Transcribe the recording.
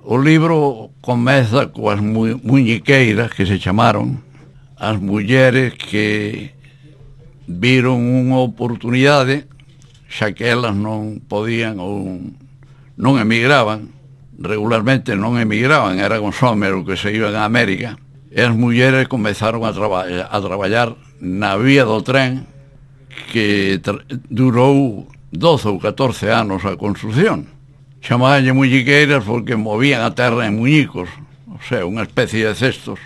O libro comeza coas muñiqueiras que se chamaron, as mulleres que viron unha oportunidade, xa que elas non podían ou non emigraban, regularmente non emigraban, eran os homes que se iban a América, e as mulleres comezaron a traballar na vía do tren que durou 12 ou 14 anos a construción. Chamabanlle muñiqueiras porque movían a terra en muñicos, o sea, unha especie de cestos.